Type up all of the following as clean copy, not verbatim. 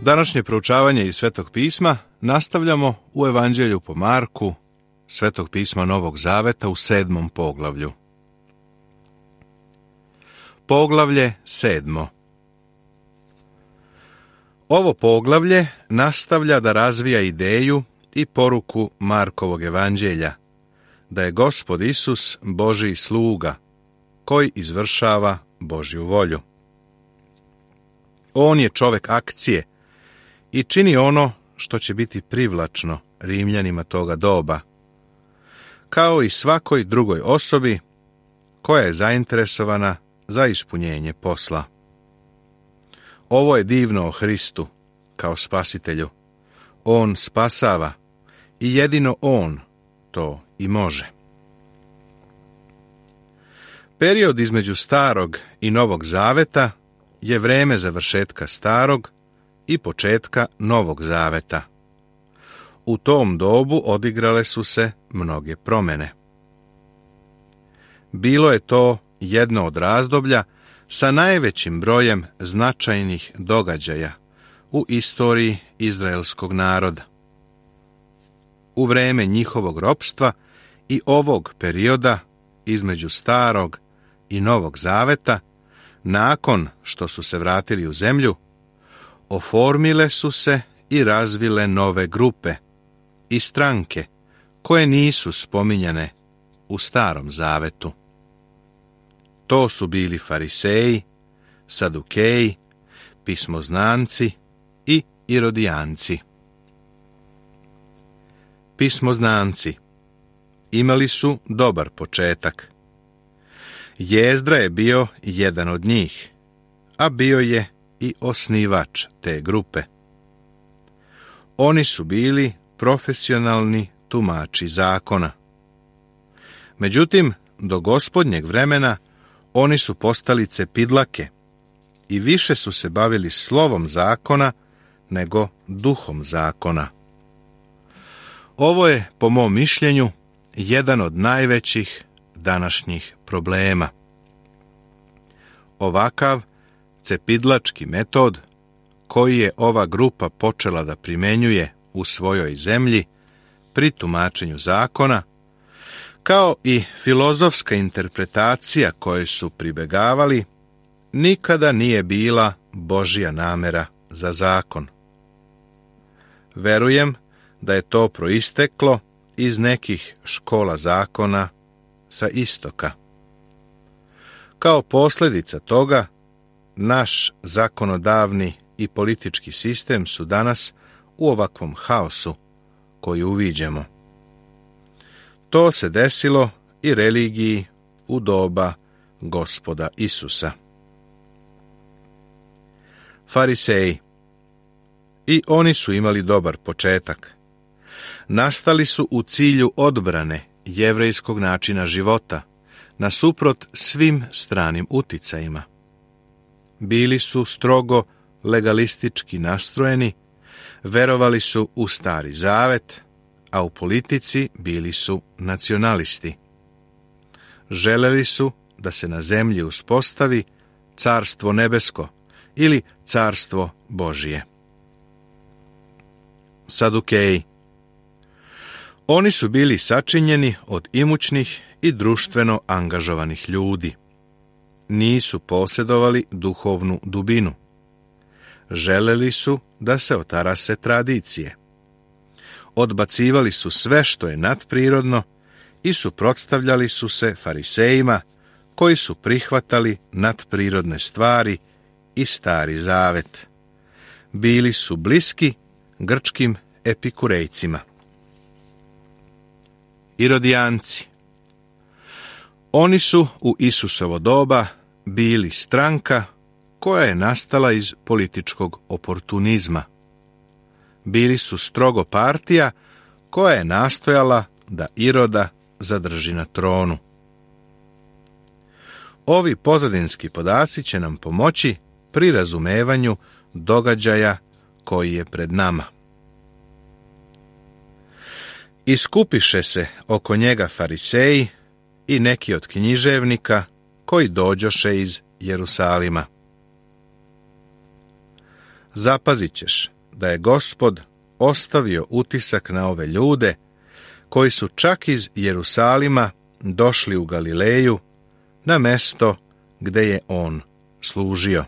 Današnje proučavanje iz Svetog pisma nastavljamo u Evanđelju po Marku, Svetog pisma Novog Zaveta u 7. poglavlju. Poglavlje 7. Ovo poglavlje nastavlja da razvija ideju i poruku Markovog evanđelja, da je Gospod Isus Božji sluga, koji izvršava Božju volju. On je čovek akcije i čini ono što će biti privlačno Rimljanima toga doba, kao i svakoj drugoj osobi koja je zainteresovana za ispunjenje posla. Ovo je divno o Hristu kao spasitelju. On spasava i jedino on to i može. Period između Starog i Novog Zaveta je vreme završetka Starog i početka Novog Zaveta. U tom dobu odigrale su se mnoge promjene. Bilo je to jedno od razdoblja sa najvećim brojem značajnih događaja u istoriji izraelskog naroda. U vreme njihovog ropstva i ovog perioda između Starog i Novog Zaveta, nakon što su se vratili u zemlju, oformile su se i razvile nove grupe i stranke koje nisu spominjane u Starom Zavetu. To su bili Fariseji, Sadukeji, pismoznanci i Irodijanci. Pismoznanci imali su dobar početak. Jezdra je bio jedan od njih, a bio je i osnivač te grupe. Oni su bili profesionalni tumači zakona. Međutim, do Gospodnjeg vremena oni su postali cepidlake i više su se bavili slovom zakona nego duhom zakona. Ovo je, po mom mišljenju, jedan od najvećih današnjih problema. Ovakav cepidlački metod koji je ova grupa počela da primenjuje u svojoj zemlji pri tumačenju zakona, kao i filozofska interpretacija koje su pribegavali, nikada nije bila Božja namera za zakon. Verujem da je to proisteklo iz nekih škola zakona sa istoka. Kao posljedica toga, naš zakonodavni i politički sistem su danas u ovakvom haosu koji uviđamo. To se desilo i religiji u doba Gospoda Isusa. Fariseji. I oni su imali dobar početak. Nastali su u cilju odbrane jevrejskog načina života, nasuprot svim stranim uticajima. Bili su strogo legalistički nastrojeni, verovali su u Stari Zavet, a u politici bili su nacionalisti. Želeli su da se na zemlji uspostavi carstvo nebesko ili carstvo Božije. Sadukeji. Oni su bili sačinjeni od imućnih i društveno angažovanih ljudi. Nisu posjedovali duhovnu dubinu. Želeli su da se otarase tradicije. Odbacivali su sve što je nadprirodno i suprotstavljali su se farisejima koji su prihvatali nadprirodne stvari i Stari Zavet. Bili su bliski grčkim epikurejcima. Irodijanci. Oni su u Isusovo doba bili stranka koja je nastala iz političkog oportunizma. Bili su strogo partija koja je nastojala da Iroda zadrži na tronu. Ovi pozadinski podaci će nam pomoći pri razumevanju događaja koji je pred nama. Iskupiše se oko njega fariseji i neki od književnika koji dođoše iz Jerusalima. Zapazit ćeš da je Gospod ostavio utisak na ove ljude koji su čak iz Jerusalima došli u Galileju na mesto gde je on služio.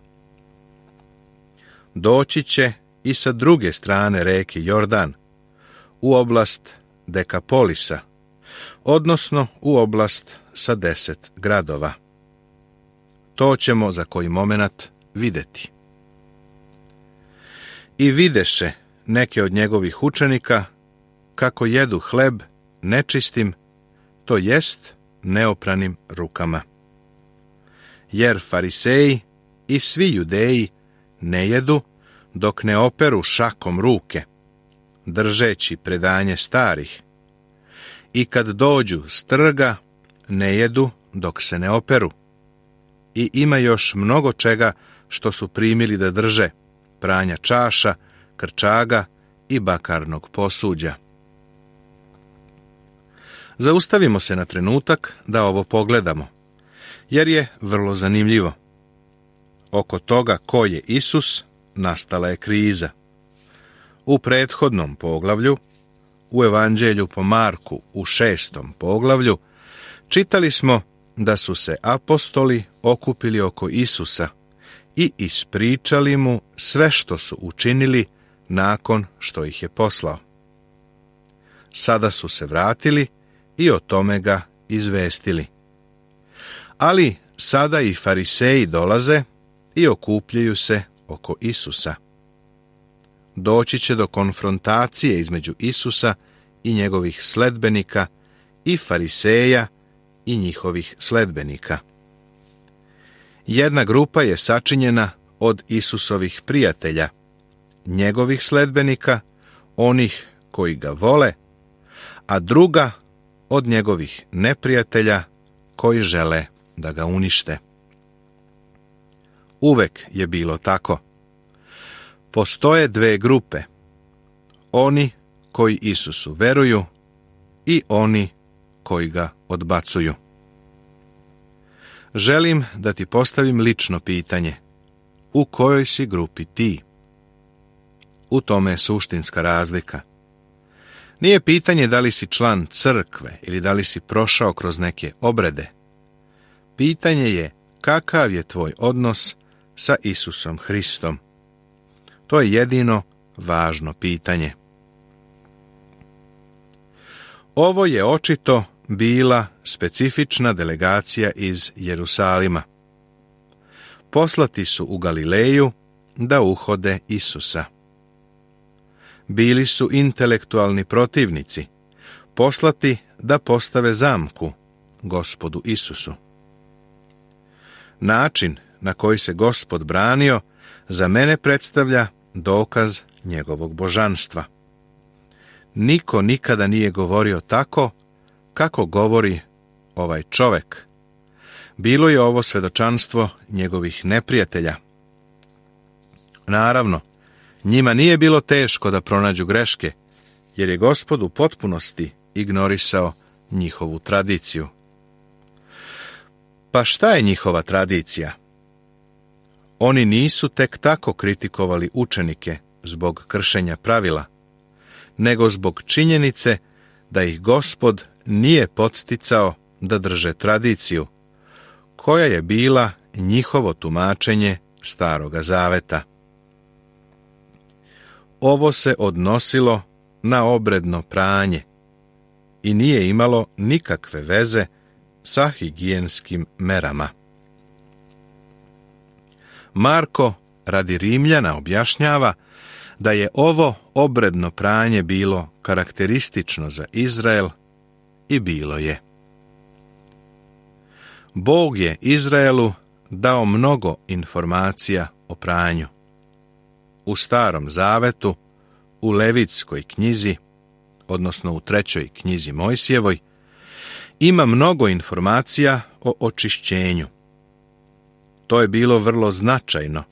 Doći će i sa druge strane reke Jordan, u oblast Dekapolisa, odnosno u oblast sa 10 gradova. To ćemo za koji momenat videti. I videše neke od njegovih učenika kako jedu hleb nečistim, to jest neopranim rukama. Jer fariseji i svi judeji ne jedu dok ne operu šakom ruke, držeći predanje starih, i kad dođu s trga ne jedu dok se ne operu. I ima još mnogo čega što su primili da drže, pranja čaša, krčaga i bakarnog posuđa. Zaustavimo se na trenutak da ovo pogledamo, jer je vrlo zanimljivo. Oko toga ko je Isus nastala je kriza. U prethodnom poglavlju, u Evanđelju po Marku u 6. poglavlju, čitali smo da su se apostoli okupili oko Isusa i ispričali mu sve što su učinili nakon što ih je poslao. Sada su se vratili i o tome ga izvestili. Ali sada i fariseji dolaze i okupljaju se oko Isusa. Doći će do konfrontacije između Isusa i njegovih sledbenika i fariseja i njihovih sledbenika. Jedna grupa je sačinjena od Isusovih prijatelja, njegovih sledbenika, onih koji ga vole, a druga od njegovih neprijatelja koji žele da ga unište. Uvek je bilo tako. Postoje dve grupe, oni koji Isusu veruju i oni koji ga odbacuju. Želim da ti postavim lično pitanje. U kojoj si grupi ti? U tome je suštinska razlika. Nije pitanje da li si član crkve ili da li si prošao kroz neke obrede. Pitanje je kakav je tvoj odnos sa Isusom Hristom. To je jedino važno pitanje. Ovo je očito bila specifična delegacija iz Jerusalima. Poslati su u Galileju da uhode Isusa. Bili su intelektualni protivnici, poslati da postave zamku Gospodu Isusu. Način na koji se Gospod branio za mene predstavlja dokaz njegovog božanstva. Niko nikada nije govorio tako kako govori ovaj čovek. Bilo je ovo svedočanstvo njegovih neprijatelja. Naravno, njima nije bilo teško da pronađu greške, jer je Gospod u potpunosti ignorisao njihovu tradiciju. Pa šta je njihova tradicija? Oni nisu tek tako kritikovali učenike zbog kršenja pravila, nego zbog činjenice da ih Gospod nije podsticao da drže tradiciju, koja je bila njihovo tumačenje Staroga Zaveta. Ovo se odnosilo na obredno pranje i nije imalo nikakve veze sa higijenskim merama. Marko radi Rimljana objašnjava da je ovo obredno pranje bilo karakteristično za Izrael i bilo je. Bog je Izraelu dao mnogo informacija o pranju. U Starom Zavetu, u Levitskoj knjizi, odnosno u 3. knjizi Mojsijevoj, ima mnogo informacija o očišćenju. To je bilo vrlo značajno,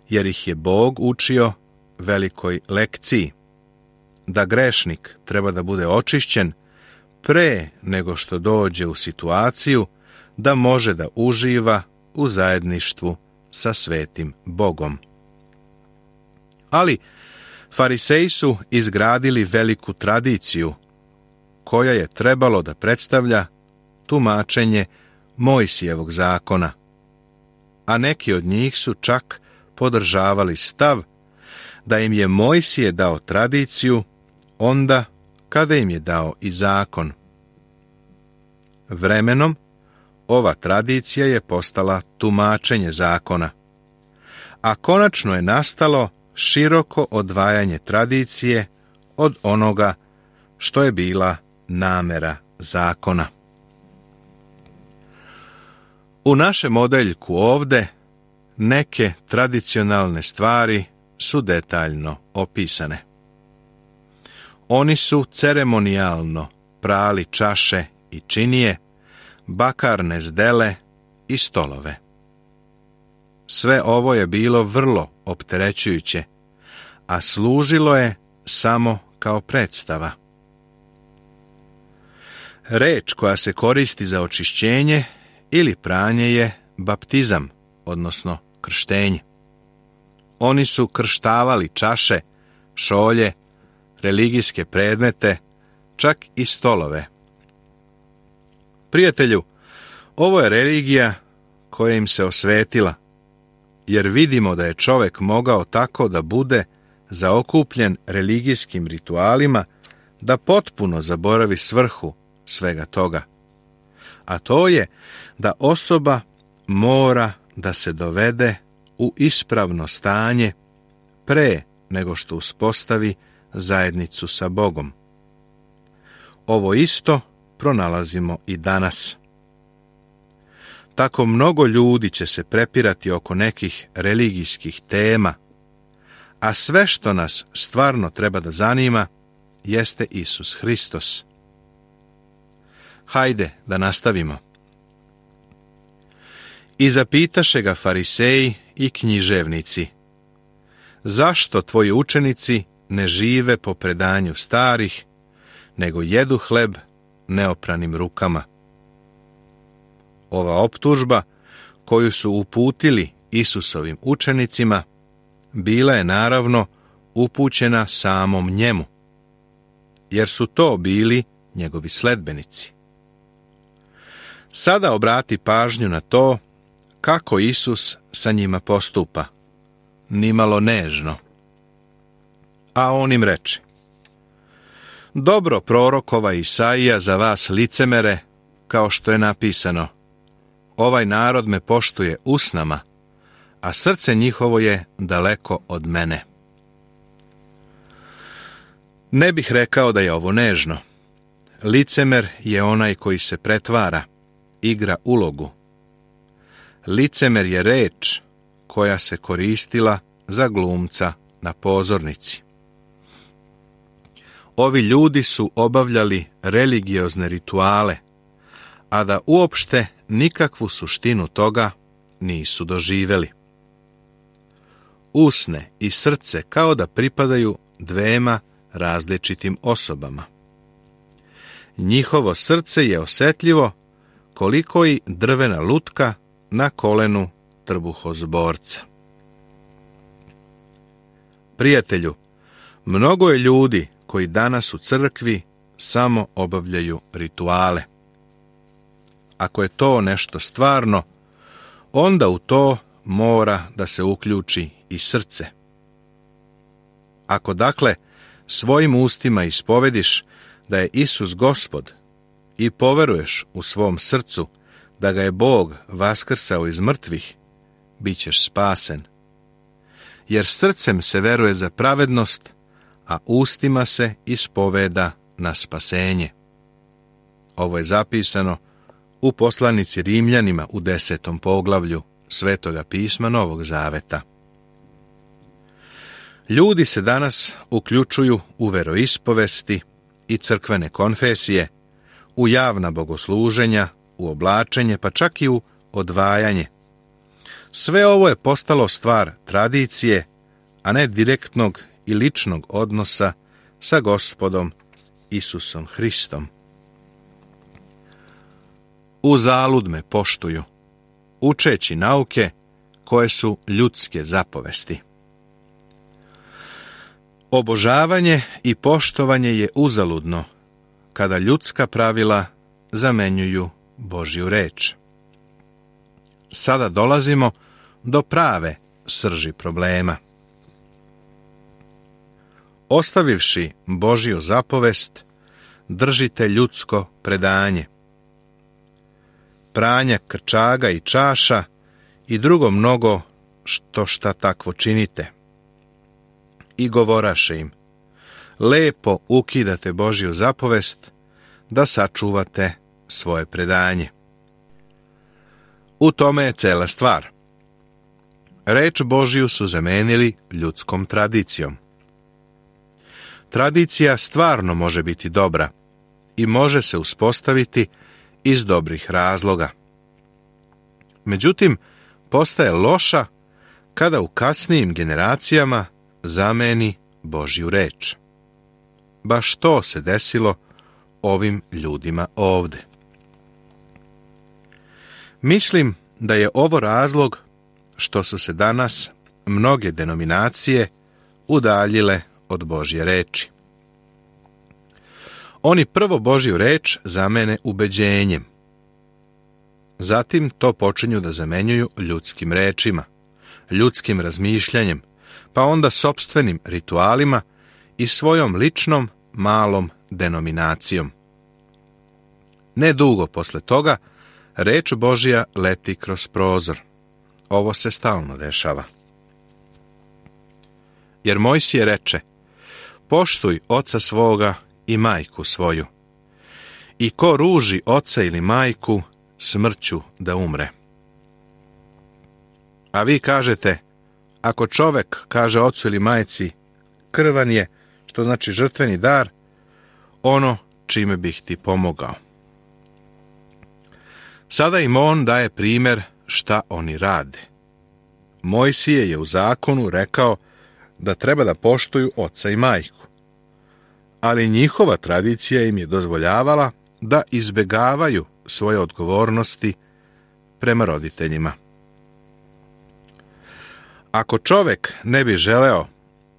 jer ih je Bog učio velikoj lekciji, da grešnik treba da bude očišćen pre nego što dođe u situaciju da može da uživa u zajedništvu sa svetim Bogom. Ali Fariseji su izgradili veliku tradiciju, koja je trebalo da predstavlja tumačenje Mojsijevog zakona, a neki od njih su čak podržavali stav da im je Mojsije dao tradiciju onda kada im je dao i zakon. Vremenom, ova tradicija je postala tumačenje zakona, a konačno je nastalo široko odvajanje tradicije od onoga što je bila namera zakona. U našem odeljku ovde neke tradicionalne stvari su detaljno opisane. Oni su ceremonijalno prali čaše i činije, bakarne zdele i stolove. Sve ovo je bilo vrlo opterećujuće, a služilo je samo kao predstava. Reč koja se koristi za očišćenje ili pranje je baptizam, odnosno krštenje. Oni su krštavali čaše, šolje, religijske predmete, čak i stolove. Prijatelju, ovo je religija koja im se osvetila, jer vidimo da je čovjek mogao tako da bude zaokupljen religijskim ritualima da potpuno zaboravi svrhu svega toga. A to je da osoba mora da se dovede u ispravno stanje pre nego što uspostavi zajednicu sa Bogom. Ovo isto pronalazimo i danas. Tako mnogo ljudi će se prepirati oko nekih religijskih tema, a sve što nas stvarno treba da zanima jeste Isus Hristos. Hajde da nastavimo. I zapitaše ga fariseji i književnici: zašto tvoji učenici ne žive po predanju starih, nego jedu hleb neopranim rukama? Ova optužba koju su uputili Isusovim učenicima bila je naravno upućena samom njemu, jer su to bili njegovi sledbenici. Sada obrati pažnju na to kako Isus sa njima postupa, nimalo nežno. A on im reče: dobro prorokova Isaija za vas licemere, kao što je napisano: ovaj narod me poštuje usnama, a srce njihovo je daleko od mene. Ne bih rekao da je ovo nežno. Licemer je onaj koji se pretvara, igra ulogu. Licemer je reč koja se koristila za glumca na pozornici. Ovi ljudi su obavljali religiozne rituale, a da uopšte nikakvu suštinu toga nisu doživeli. Usne i srce kao da pripadaju dvema različitim osobama. Njihovo srce je osetljivo koliko i drvena lutka na kolenu trbuhozborca. Prijatelju, mnogo je ljudi koji danas u crkvi samo obavljaju rituale. Ako je to nešto stvarno, onda u to mora da se uključi i srce. Ako dakle svojim ustima ispovediš da je Isus Gospod i poveruješ u svom srcu da ga je Bog vaskrsao iz mrtvih, bit ćeš spasen. Jer srcem se veruje za pravednost, a ustima se ispoveda na spasenje. Ovo je zapisano u poslanici Rimljanima u 10. poglavlju Svetoga pisma Novog Zaveta. Ljudi se danas uključuju u veroispovesti i crkvene konfesije, u javna bogosluženja, u oblačenje, pa čak i u odvajanje. Sve ovo je postalo stvar tradicije, a ne direktnog i ličnog odnosa sa Gospodom Isusom Hristom. Uzalud me poštuju, učeći nauke koje su ljudske zapovesti. Obožavanje i poštovanje je uzaludno kada ljudska pravila zamenjuju Božju reč. Sada dolazimo do prave srži problema. Ostavivši Božju zapovest, držite ljudsko predanje. Pranja krčaga i čaša i drugo mnogo šta takvo činite. I govoraše im, lepo ukidate Božju zapovest da sačuvate svoje predanje. U tome je cela stvar. Reč Božju su zamenili ljudskom tradicijom. Tradicija stvarno može biti dobra i može se uspostaviti iz dobrih razloga. Međutim, postaje loša kada u kasnijim generacijama zameni Božju reč. Baš to se desilo ovim ljudima ovde. Mislim da je ovo razlog što su se danas mnoge denominacije udaljile od Božje reči. Oni prvo Božju reč zamene ubeđenjem. Zatim to počinju da zamenjuju ljudskim rečima, ljudskim razmišljanjem, pa onda sopstvenim ritualima i svojom ličnom malom denominacijom. Nedugo posle toga, reč Božja leti kroz prozor. Ovo se stalno dešava. Jer Mojsije reče, poštuj oca svoga i majku svoju. I ko ruži oca ili majku, smrću da umre. A vi kažete, ako čovek kaže ocu ili majci, krvan je, što znači žrtveni dar, ono čime bih ti pomogao. Sada im on daje primjer šta oni rade. Mojsije je u zakonu rekao da treba da poštuju oca i majku. Ali njihova tradicija im je dozvoljavala da izbegavaju svoje odgovornosti prema roditeljima. Ako čovek ne bi želeo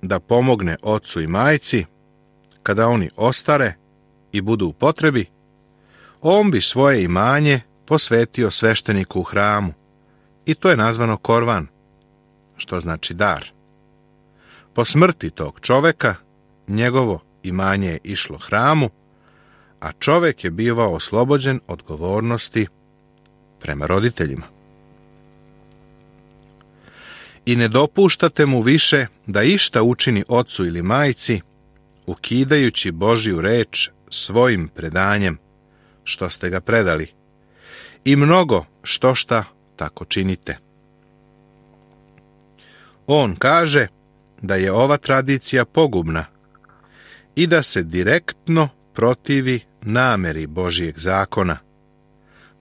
da pomogne ocu i majci, kada oni ostare i budu u potrebi, on bi svoje imanje posvetio svešteniku u hramu i to je nazvano korvan, što znači dar. Po smrti tog čoveka, njegovo imanje je išlo hramu, a čovek je bivao oslobođen odgovornosti prema roditeljima. I ne dopuštate mu više da išta učini ocu ili majci, ukidajući Božju reč svojim predanjem, što ste ga predali, i mnogo šta tako činite. On kaže da je ova tradicija pogubna i da se direktno protivi nameri Božjeg zakona,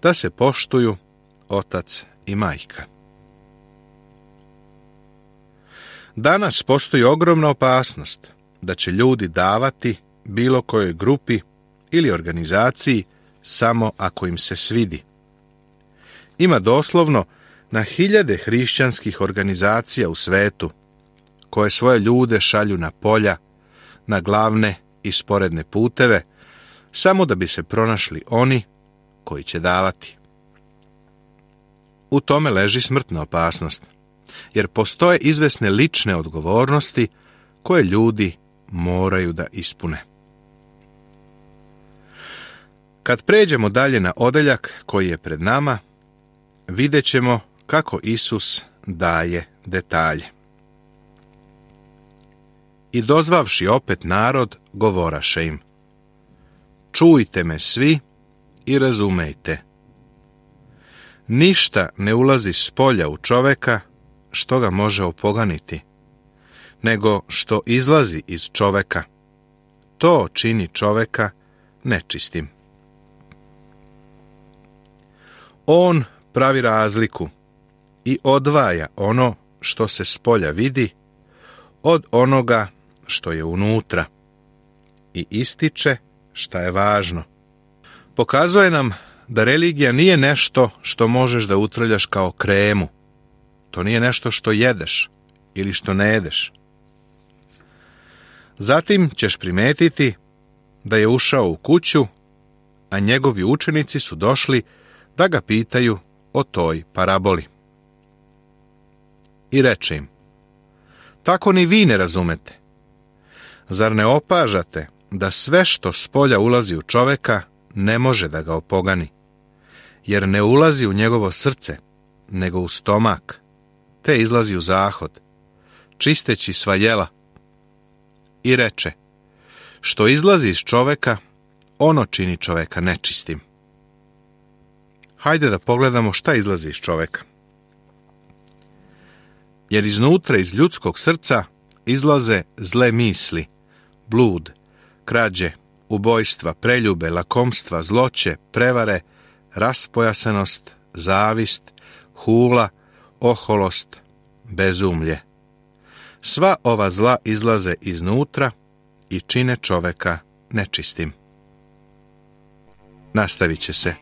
da se poštuju otac i majka. Danas postoji ogromna opasnost da će ljudi davati bilo kojoj grupi ili organizaciji samo ako im se svidi. Ima doslovno na hiljade hrišćanskih organizacija u svetu koje svoje ljude šalju na polja, na glavne i sporedne puteve, samo da bi se pronašli oni koji će davati. U tome leži smrtna opasnost, jer postoje izvesne lične odgovornosti koje ljudi moraju da ispune. Kad pređemo dalje na odeljak koji je pred nama, vidjet ćemo kako Isus daje detalje. I dozvavši opet narod, govoraše im, čujte me svi i razumejte. Ništa ne ulazi s polja u čoveka što ga može opoganiti, nego što izlazi iz čoveka. To čini čoveka nečistim. On pravi razliku i odvaja ono što se s polja vidi od onoga što je unutra i ističe šta je važno. Pokazuje nam da religija nije nešto što možeš da utrljaš kao kremu. To nije nešto što jedeš ili što ne jedeš. Zatim ćeš primetiti da je ušao u kuću, a njegovi učenici su došli da ga pitaju o toj paraboli. I reče im: tako ni vi ne razumete. Zar ne opažate da sve što spolja ulazi u čoveka ne može da ga opogani, jer ne ulazi u njegovo srce, nego u stomak, te izlazi u zahod, čisteći sva jela. I reče: što izlazi iz čoveka, ono čini čoveka nečistim. Hajde da pogledamo šta izlazi iz čoveka. Jer iznutra iz ljudskog srca izlaze zle misli, blud, krađe, ubojstva, preljube, lakomstva, zloće, prevare, raspojasanost, zavist, hula, oholost, bezumlje. Sva ova zla izlaze iznutra i čine čoveka nečistim. Nastavit će se